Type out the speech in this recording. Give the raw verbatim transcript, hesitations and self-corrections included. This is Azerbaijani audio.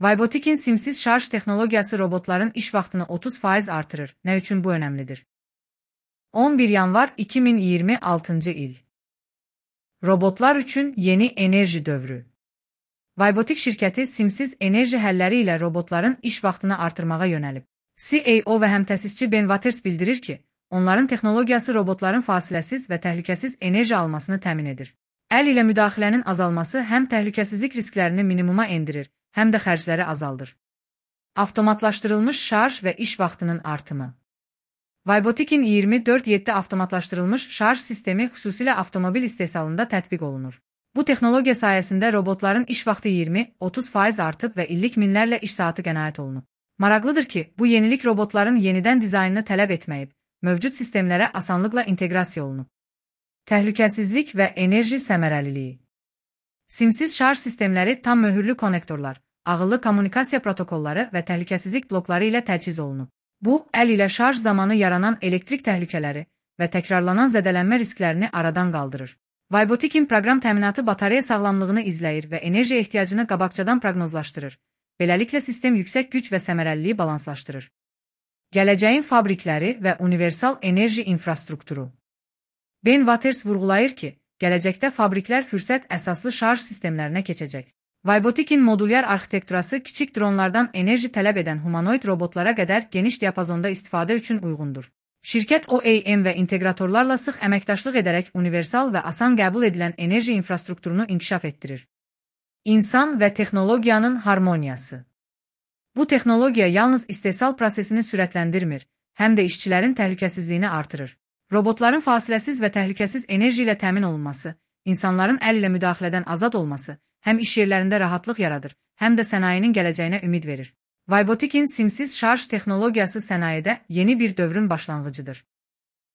Vybotikin simsiz şarj texnologiyası robotların iş vaxtını otuz faiz artırır. Nə üçün bu önəmlidir? on bir yanvar iki min iyirmi altıncı il. Robotlar üçün yeni enerji dövrü. Vybotik şirkəti simsiz enerji həlləri ilə robotların iş vaxtını artırmağa yönəlib. C E O və həmtəsisçi Ben Waters bildirir ki, onların texnologiyası robotların fasiləsiz və təhlükəsiz enerji almasını təmin edir. Əl ilə müdaxilənin azalması həm təhlükəsizlik risklərini minimuma endirir, həm də xərcləri azaldır. Avtomatlaşdırılmış şarj və iş vaxtının artımı. Vybotikin iyirmi dörd yeddi avtomatlaşdırılmış şarj sistemi xüsusilə avtomobil istehsalında tətbiq olunur. Bu texnologiya sayəsində robotların iş vaxtı iyirmi otuz faiz artıb və illik minlərlə iş saatı qənaət olunub. Maraqlıdır ki, bu yenilik robotların yenidən dizaynını tələb etməyib, mövcud sistemlərə asanlıqla inteqrasiya olunub. Təhlükəsizlik və enerji səmərəliliyi. Simsiz şarj sistemləri tam möhürlü konnektorlar, ağıllı kommunikasiya protokolları və təhlükəsizlik blokları ilə təchiz olunub. Bu, əl ilə şarj zamanı yaranan elektrik təhlükələri və təkrarlanan zədələnmə risklərini aradan qaldırır. Vybotikin proqram təminatı batareya sağlamlığını izləyir və enerji ehtiyacını qabaqcadan proqnozlaşdırır. Beləliklə sistem yüksək güc və səmərəliliyi balanslaşdırır. Gələcəyin fabrikləri və universal enerji infrastrukturu. Ben Waters vurğulayır ki, gələcəkdə fabriklər fürsət əsaslı şarj sistemlərinə keçəcək. Vybotikin modulyar arxitekturası kiçik dronlardan enerji tələb edən humanoid robotlara qədər geniş diapazonda istifadə üçün uyğundur. Şirkət O E M və inteqratorlarla sıx əməkdaşlıq edərək universal və asan qəbul edilən enerji infrastrukturunu inkişaf etdirir. İnsan və texnologiyanın harmoniyası. Bu texnologiya yalnız istehsal prosesini sürətləndirmir, həm də işçilərin təhlükəsizliyini artırır. Robotların fasiləsiz və təhlükəsiz enerji ilə təmin olunması, insanların əl ilə müdaxilədən azad olması, həm iş yerlərində rahatlıq yaradır, həm də sənayinin gələcəyinə ümid verir. Vybotikin simsiz şarj texnologiyası sənayedə yeni bir dövrün başlanğıcıdır.